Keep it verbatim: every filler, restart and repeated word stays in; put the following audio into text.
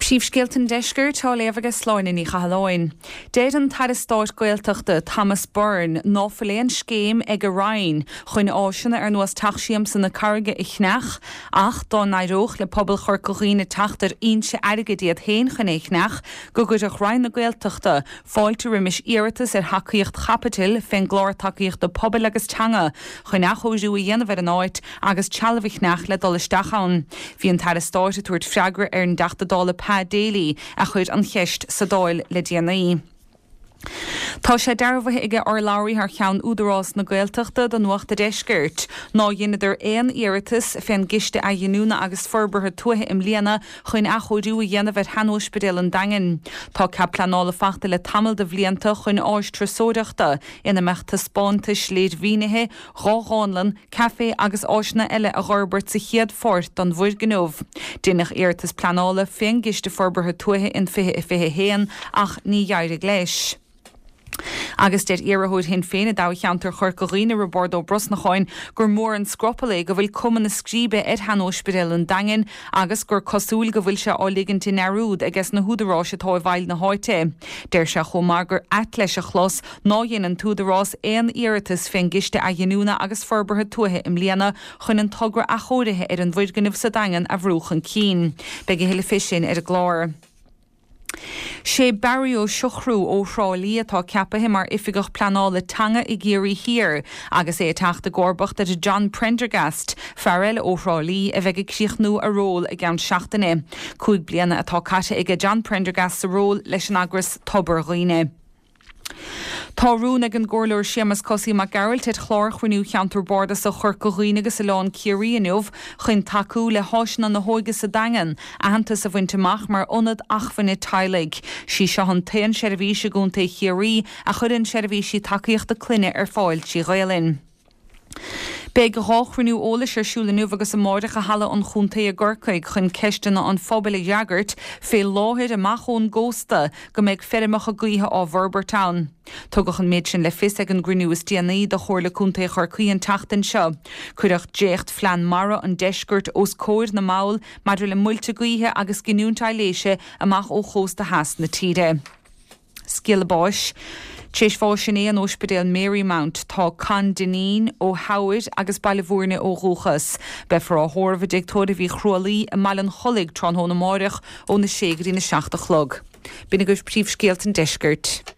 Príomhscéalta an Deiscirt á léamh ag Sláine Ní Chathalláin. Deir an tAire Stáit Gaeltachta Thomas Byrne ná fuil aon scéim ag a Roinn chun áiseanna ar nós Teach Siamsa na Carraige a cheannach ach dá n-éireodh le pobal Chorca Dhuibhne teacht ar fhoinse airgid iad féin chun é a cheannach go gcuirfeadh Roinn na Gaeltachta fáilte roimis iarratas ar thacaíocht chaipitil fén gclár tacaíochta pobail agus teanga chun athchóiriú a dhéanamh ar an áit agus trealamh a cheannach le dul isteach ann. Bhí an tAire Stáit ag tabhairt freagra ar an dTeachta Dála Pa Daly a chuir an cheist sa Dáil le déanaí. Tá sé dearbhaithe ag urlabhraí thar cheann Údarás na Gaeltachta do Nuacht an Deiscirt. Nár dheineadar aon iarratas fén gCiste Athghiniúna agus Forbartha Tuaithe i mbliana chun athchóiriú a dhéanamh ar shean-Ospidéal an Daingin. Tá cead pleanála faighte le tamall de bhlianta chun áis turasóireachta ina mbeadh taispeántais léirmhínithe, dhá dhánlann, caife agus áiseanna eile a fhorbairt sa chéad pháirt den bhfoirgneamh. Deineadh iarratas pleanála fén gCiste Forbartha Tuaithe in fiche a fiche haon ach ní d'éirigh leis. Agus deir iarrthóir Shinn Féin i dtoghcheantar Chorca Dhuibhne Roibeárd Ó Brosnacháin gur mór an scrupall é go bhfuil cuma na scríbe ar shean-Ospidéal an Daingin agus gur cosúil go bhfuil sé á ligint i ndearúd aige sna húdaráis atá i bhfeighil na háite. Deir sé chomh maith gur ait leis a chlos ná dhein an t-údarás aon iarratas fén gCiste Athghiniúna agus Forbartha Tuaithe i mbliana chun an togra athchóirithe ar an bhfoirgneamh sa Daingean a bhrú chun cinn. Beidh a thuilleadh fé sin ar an gclár. Sé Barry Ó Siochrú ó Thrá Lí atá ceapaithe mar oifigeach pleanála teanga i gCiarraí Thiar agus é ag teacht i gcomharbacht ar John Prendergast, fear eile ó Thrá Lí a bheidh ag críochnú a ról i gceann seachtaine. Cúig bliana atá caite aige John Prendergast sa ról leis an eagras Tobar Dhuibhne. Tá rún ag an gComhairleoir Séamus Cosaí Mac Gearailt ar chlár chruinniú cheantar Bardasach Chorca Dhuibhne agus Oileán Ciarraí inniu chun tacú le háiseanna na hóige sa Daingean, aitheantas a bhaint amach mar ionad acmhainne teaghlaigh. Sí seo an t-aon seirbhís i gContae Chiarraí a chuireann seirbhísí tacaíochta clainne ar fáil trí Ghaelainn. Beidh dhá chruinniú eolais ar siúl inniu agus amárach i Halla an Chontae i gCorcaigh chun ceisteanna an phobail a fhreagairt fé láthair amach ón gcósta go mbeidh feirmeacha gaoithe á bhforbairt ann. Tugadh an méid sin le fios ag an gcruinniú is déanaí de Chomhairle Contae Chorcaí an tseachtain seo. Cuireadh dréacht phlean mara an deiscirt os comhair na mball maidir le muilte gaoithe agus giniúint aibhléise amach ó chósta theas na tíre. Scéala báis. Tar éis bháis inné in Ospidéal Marymount tá Con Dineen ó Theamhair agus Baile Bhúirne ó dhúchas. Beifear á thórramh i dTigh Tórraimh Uí Chrualaoi i mBaile an Chollaigh tráthnóna amárach óna sé go dtí na seacht a chlog. B'in agaibh príomhscéalta an deiscirt.